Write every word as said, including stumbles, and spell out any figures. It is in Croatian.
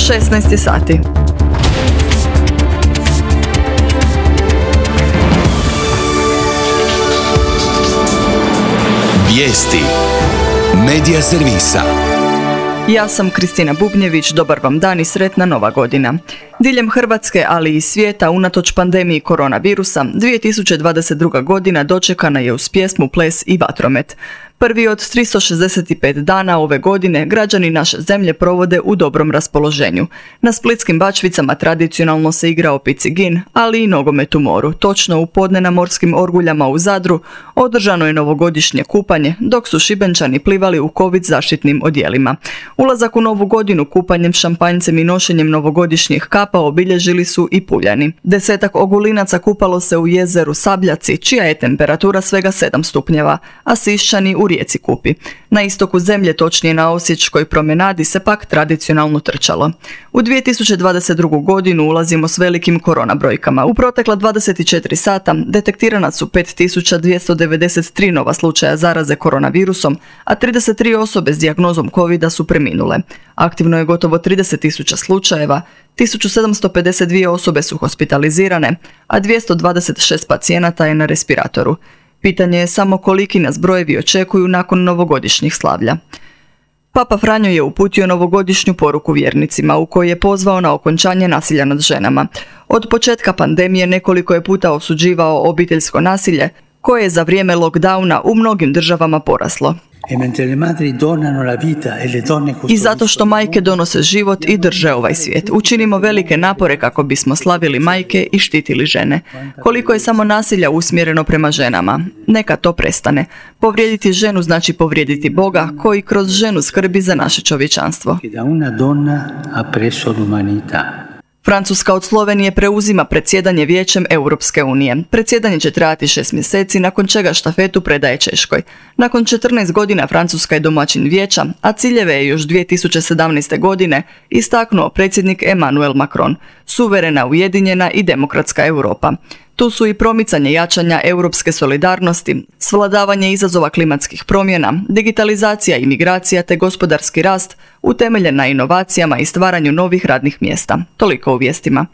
šesnaest je sati. Vijesti Medija servisa. Ja sam Kristina Bubnjević, dobar vam dan i sretna nova godina. Diljem Hrvatske, ali i svijeta, unatoč pandemiji koronavirusa, dvije tisuće dvadeset druga. godina dočekana je uz pjesmu, ples i vatromet. Prvi od tristo šezdeset pet dana ove godine građani naše zemlje provode u dobrom raspoloženju. Na splitskim Bačvicama tradicionalno se igra o picigin, ali i nogomet u moru. Točno u podne na morskim orguljama u Zadru održano je novogodišnje kupanje, dok su Šibenčani plivali u covid zaštitnim odjelima. Ulazak u novu godinu kupanjem, šampanjcem i nošenjem novogodišnjih kapa obilježili su i Puljani. Desetak ogulinaca kupalo se u jezeru Sabljaci, čija je temperatura svega sedam stupnjeva, a Siščani u rijeci Kupi. Na istoku zemlje, točnije na Osječkoj promenadi, se pak tradicionalno trčalo. U dvije tisuće dvadeset drugu. godinu ulazimo s velikim korona brojkama. U protekla dvadeset četiri sata detektirana su pet tisuća dvjesto devedeset tri nova slučaja zaraze koronavirusom, a trideset tri osobe s dijagnozom covida su preminule. Aktivno je gotovo trideset tisuća slučajeva, tisuću sedamsto pedeset dvije osobe su hospitalizirane, a dvjesto dvadeset šest pacijenata je na respiratoru. Pitanje je samo koliki nas brojevi očekuju nakon novogodišnjih slavlja. Papa Franjo je uputio novogodišnju poruku vjernicima u kojoj je pozvao na okončanje nasilja nad ženama. Od početka pandemije nekoliko je puta osuđivao obiteljsko nasilje, koje je za vrijeme lockdowna u mnogim državama poraslo. I zato što majke donose život i drže ovaj svijet. Učinimo velike napore kako bismo slavili majke i štitili žene. Koliko je samo nasilja usmjereno prema ženama? Neka to prestane. Povrijediti ženu znači povrijediti Boga, koji kroz ženu skrbi za naše čovječanstvo. Francuska od Slovenije preuzima predsjedanje Vijećem Europske unije. Predsjedanje će trajati šest mjeseci, nakon čega štafetu predaje Češkoj. Nakon četrnaest godina Francuska je domaćin Vijeća, a ciljeve je još dvije tisuće sedamnaeste. godine istaknuo predsjednik Emmanuel Macron. Suverena, ujedinjena i demokratska Europa. Tu su i promicanje jačanja europske solidarnosti, svladavanje izazova klimatskih promjena, digitalizacija i migracija te gospodarski rast utemeljen na inovacijama i stvaranju novih radnih mjesta. Toliko u vijestima.